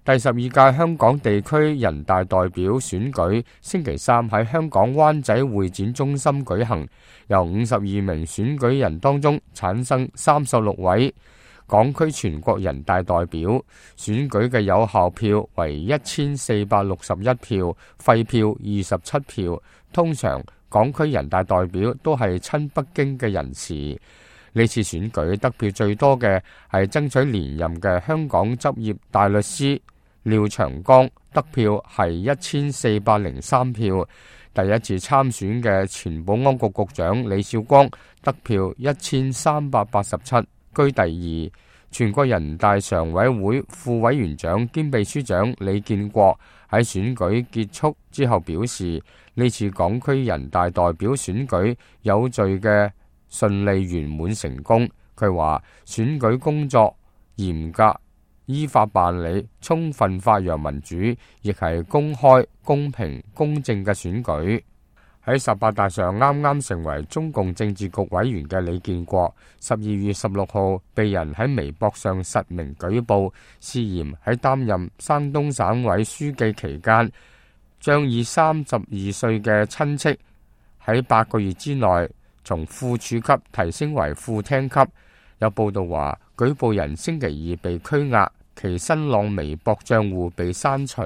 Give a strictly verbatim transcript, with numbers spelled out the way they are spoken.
第十二屆香港地區人大代表選舉星期三喺香港灣仔會展中心舉行，由五十二名選舉人當中產生三十六位港區全國人大代表，選舉嘅有效票為一千四百六十一票，廢票二十七票。通常港區人大代表都係親北京嘅人士。呢次選舉得票最多嘅係爭取連任嘅香港執業大律師廖長江，得票係一千四百零三票。第一次參選嘅前保安局局長李少光，得票一千三百八十七，居第二。全國人大常委會副委員長兼秘書長李建國喺選舉結束之後表示，呢次港區人大代表選舉有序嘅順利圓滿成功。佢話選舉工作嚴格依法辦理，充分發揚民主，亦係公開、公平、公正嘅選舉。喺十八大上啱啱成為中共政治局委員嘅李建國，十二月十六號被人喺微博上實名舉報，涉嫌喺擔任山東省委書記期間，將以三十二歲嘅親戚喺八個月之內從副處級提升為副廳級。有報道話，舉報人星期二被拘押，其新浪微博賬戶被刪除。